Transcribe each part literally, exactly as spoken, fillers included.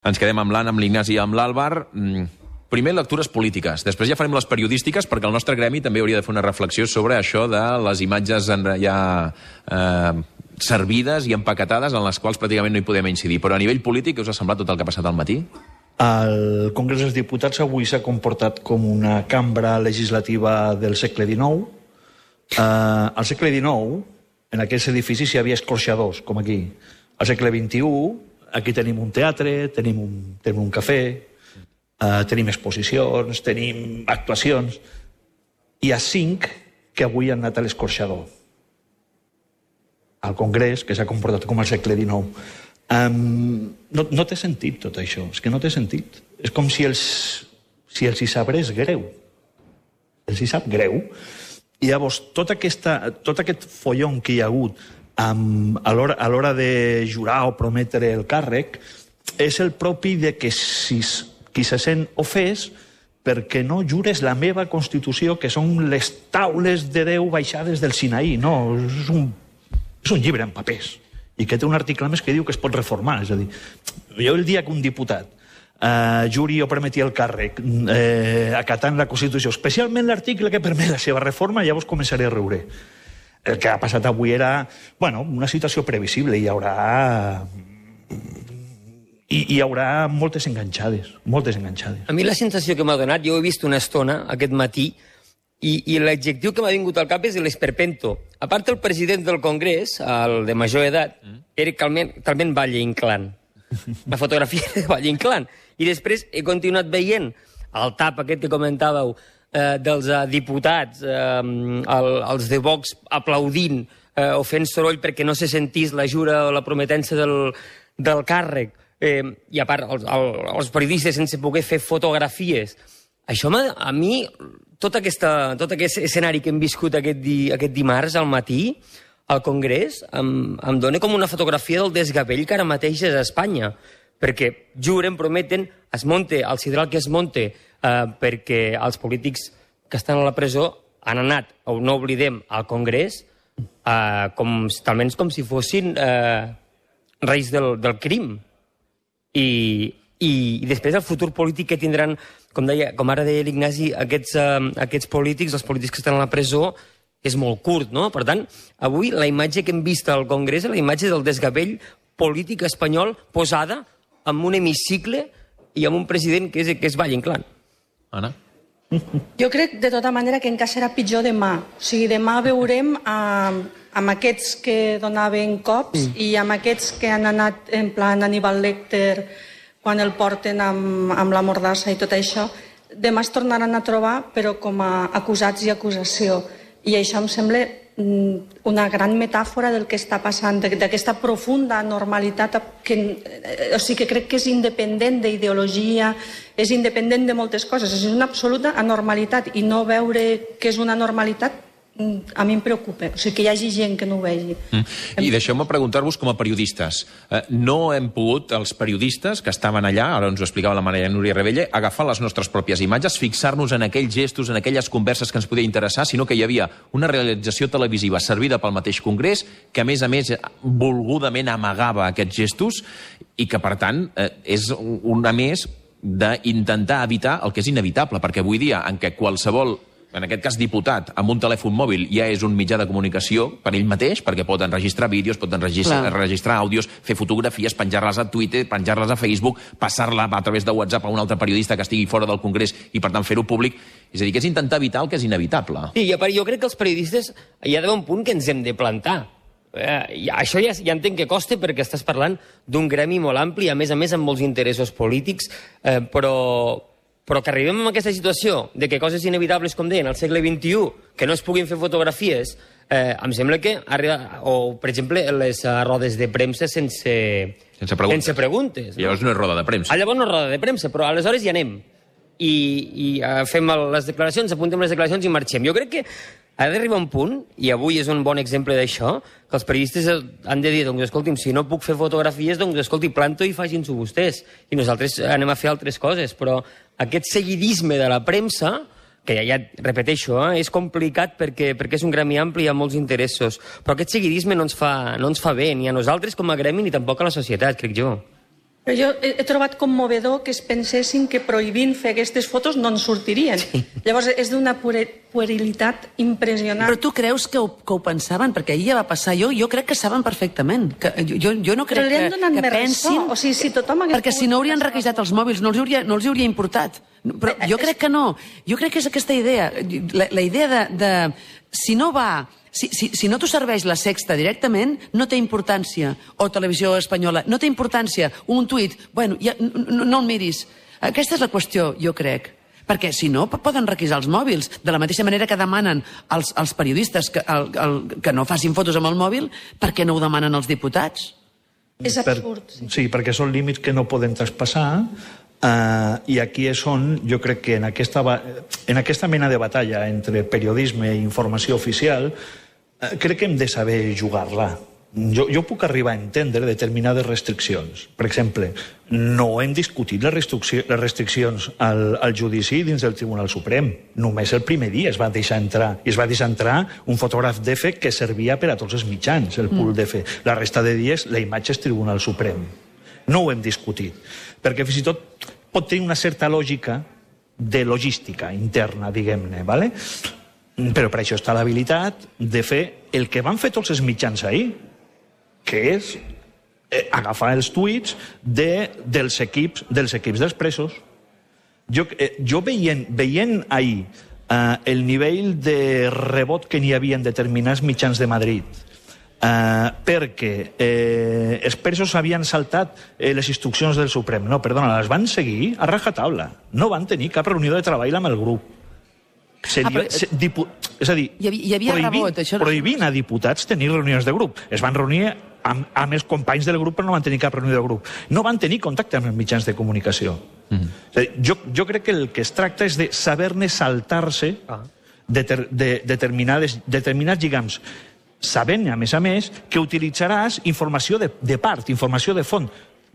Ens quedem amb l'Anna, amb l'Ignasi i amb l'Àlvar. Primer, lectures polítiques. Després ja farem les periodístiques, perquè el nostre gremi també hauria de fer una reflexió sobre això de les imatges ja eh, servides i empaquetades en les quals pràcticament no hi podem incidir. Però a nivell polític, què us ha semblat tot el que ha passat al matí? El Congrés dels Diputats avui s'ha comportat com una cambra legislativa del segle dinou. Eh, al segle dinou, en aquests edificis hi havia escorxadors, com aquí. Al segle vint-i-u, aquí tenim un teatre, tenim un, tenim un cafè, uh, tenim exposicions, tenim actuacions. Hi ha cinc que avui han anat a l'escorxador. Al Congrés, que s'ha comportat com al segle dinou. Um, no, no té sentit tot això, és que no té sentit. És com si els, si els hi sabrés greu. Els hi sap greu. I llavors, tot, aquesta, tot aquest follon que hi ha hagut Um, a l'hora de jurar o prometre el càrrec, és el propi de que si, qui se sent ofès perquè no jures la meva Constitució, que són les taules de Déu baixades del Sinaí. No, és un, és un llibre en papers, i que té un article més que diu que es pot reformar. És a dir, jo el dia que un diputat eh, juri o permeti el càrrec eh, acatant la Constitució, especialment l'article que permet la seva reforma, llavors començaré a riure. El que ha passat avui era, bueno, una situació previsible. Hi haurà... Hi, hi haurà moltes enganxades, moltes enganxades. A mi la sensació que m'ha donat, jo ho he vist una estona aquest matí, i, i l'adjectiu que m'ha vingut al cap és l'esperpento. A part, el president del Congrés, el de major edat, era talment, talment Valle Inclán. La fotografia de Valle Inclán. I després he continuat veient el tap aquest que comentàveu, Eh, dels eh, diputats, eh, el, els de Vox aplaudint eh, o fent soroll perquè no se sentís la jura o la prometença del, del càrrec, eh, i a part els, el, els periodistes sense poder fer fotografies. Això a mi, tot, aquesta, tot aquest escenari que hem viscut aquest, di, aquest dimarts al matí al Congrés em, em dona com una fotografia del desgavell que ara mateix és a Espanya, perquè juren, prometen, es monte el sidral que es monte, Uh, perquè els polítics que estan a la presó han anat, o no oblidem, al Congrés, uh, com, talment com si fossin uh, reis del, del crim. I, i, I després el futur polític que tindran, com, deia, com ara deia l'Ignasi, aquests, uh, aquests polítics, els polítics que estan a la presó, és molt curt, no? Per tant, avui la imatge que hem vist al Congrés és la imatge del desgavell polític espanyol posada en un hemicicle i amb un president que és, que és Valle Inclán. Anna? Jo crec, de tota manera, que encara serà pitjor demà. O sigui, demà veurem eh, amb aquests que donaven cops mm. i amb aquests que han anat en plan Aníbal Lecter quan el porten amb, amb la mordassa i tot això. Demà es tornaran a trobar, però com a acusats i acusació. I això em sembla una gran metàfora del que està passant, d'aquesta profunda normalitat que, o sigui, que crec que és independent d'ideologia, és independent de moltes coses, és una absoluta anormalitat, i no veure que és una normalitat a mi em preocupa, o sigui, que hi hagi gent que no ho vegi. Mm. I deixeu-me preguntar-vos com a periodistes. Eh, no hem pogut, els periodistes que estaven allà, ara ens ho explicava la Maria Núria Rebella, agafar les nostres pròpies imatges, fixar-nos en aquells gestos, en aquelles converses que ens podia interessar, sinó que hi havia una realització televisiva servida pel mateix Congrés, que a més a més volgudament amagava aquests gestos, i que per tant eh, és una més d'intentar evitar el que és inevitable, perquè avui dia en què qualsevol, en aquest cas diputat, amb un telèfon mòbil ja és un mitjà de comunicació per ell mateix, perquè pot enregistrar vídeos, pot enregistrar, enregistrar àudios, fer fotografies, penjar-les a Twitter, penjar-les a Facebook, passar-la a través de WhatsApp a un altre periodista que estigui fora del Congrés i, per tant, fer-ho públic. És a dir, que és intentar evitar el que és inevitable. Sí, jo crec que els periodistes hi ha d'haver un punt que ens hem de plantar. Eh, això ja, ja entenc que costa perquè estàs parlant d'un gremi molt ampli, a més a més amb molts interessos polítics, eh, però... però que arribem a aquesta situació de que coses inevitables, com deien, al segle vint-i-u, que no es puguin fer fotografies, eh, em sembla que arriba... O, per exemple, les uh, rodes de premsa sense... Sense preguntes. Sense preguntes, no? Llavors no és roda de premsa. Ah, llavors no és roda de premsa, però aleshores hi anem. I, i uh, fem les declaracions, apuntem les declaracions i marxem. Jo crec que ha d'arribar un punt, i avui és un bon exemple d'això, que els periodistes han de dir, doncs, escolti'm, si no puc fer fotografies, doncs, escolti, planto i facin-s'ho vostès. I nosaltres anem a fer altres coses, però aquest seguidisme de la premsa, que ja, ja repeteixo, eh, és complicat perquè, perquè és un gremi ampli i hi ha molts interessos, però aquest seguidisme no ens fa, no ens fa bé, ni a nosaltres com a gremi, ni tampoc a la societat, crec jo. Però jo he, he trobat commovedor que es pensessin que prohibint fer aquestes fotos no en sortirien. Sí. Llavors és d'una puerilitat impressionant. Però tu creus que ho, que ho pensaven? Perquè ahir ja va passar. Jo, jo crec que saben perfectament. Que, jo, jo no crec que, que pensin... O sigui, si tothom hagués... Perquè si no haurien requisat els mòbils, no els hauria, no els hauria importat. Però jo crec que no. Jo crec que és aquesta idea. La, la idea de, de... Si no va... Si, si, si no t'ho serveix la Sexta directament, no té importància. O Televisió Espanyola, no té importància. Un tuit, bueno, ja, no, no el miris. Aquesta és la qüestió, jo crec. Perquè, si no, poden requisar els mòbils. De la mateixa manera que demanen als, als periodistes que, el, el, que no facin fotos amb el mòbil, per què no ho demanen als diputats? És absurd. Per, sí, perquè són límits que no poden traspassar. Uh, I aquí és on jo crec que en aquesta, en aquesta mena de batalla entre periodisme i informació oficial uh, crec que hem de saber jugar-la. Jo, jo puc arribar a entendre determinades restriccions. Per exemple, no hem discutit les, restriccions, les restriccions al, al judici dins del Tribunal Suprem. Només el primer dia es va deixar entrar. I es va deixar entrar un fotògraf d'E F E que servia per a tots els mitjans, el pool d'E F E. La resta de dies la imatge és Tribunal Suprem. No ho hem discutit. Perquè fins i tot pot tenir una certa lògica de logística interna, diguem-ne, ¿vale? Però per això està l'habilitat de fer el que van fer tots els mitjans ahir, que és eh, agafar els tuits de, dels, equips, dels equips dels presos. Jo, eh, jo veient, veient ahir eh, el nivell de rebot que n'hi havia en determinats mitjans de Madrid, Uh, perquè eh, els presos havien saltat eh, les instruccions del Suprem. No, perdona, les van seguir a rajatabla. No van tenir cap reunió de treball amb el grup. Seria, ah, però... se, dipu... És a dir, hi havia, hi havia prohibint, rebot, això... prohibint a diputats tenir reunions de grup. Es van reunir amb, amb els companys del grup, però no van tenir cap reunió de grup. No van tenir contacte amb els mitjans de comunicació. Mm-hmm. És a dir, jo, jo crec que el que es tracta és de saber-ne saltar-se ah. de, ter, de determinades, determinats lligams, sabent, a més a més, que utilitzaràs informació de, de part, informació de font.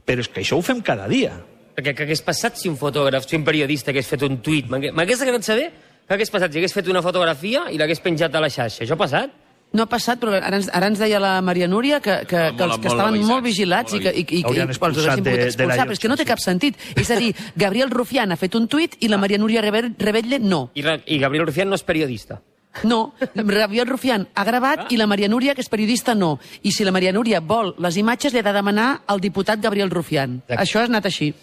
Però és que això ho fem cada dia. Perquè què hagués passat si un fotògraf, si un periodista hagués fet un tuit? M'hagués agradat saber què hagués passat si hagués fet una fotografia i l'hagués penjat a la xarxa. Això ha passat? No ha passat, però ara ens, ara ens deia la Maria Núria que, que, ah, que els que estaven molt, molt vigilats molt i que, i, i, i els haurien pogut expulsar, però és que no té cap sentit. És a dir, Gabriel Rufián ha fet un tuit i la Maria Núria Rebetlle no. I, I Gabriel Rufián no és periodista. No, Gabriel Rufián ha gravat ah. i la Maria Núria, que és periodista, no. I si la Maria Núria vol les imatges, li ha de demanar al diputat Gabriel Rufián. Exacte. Això ha anat així.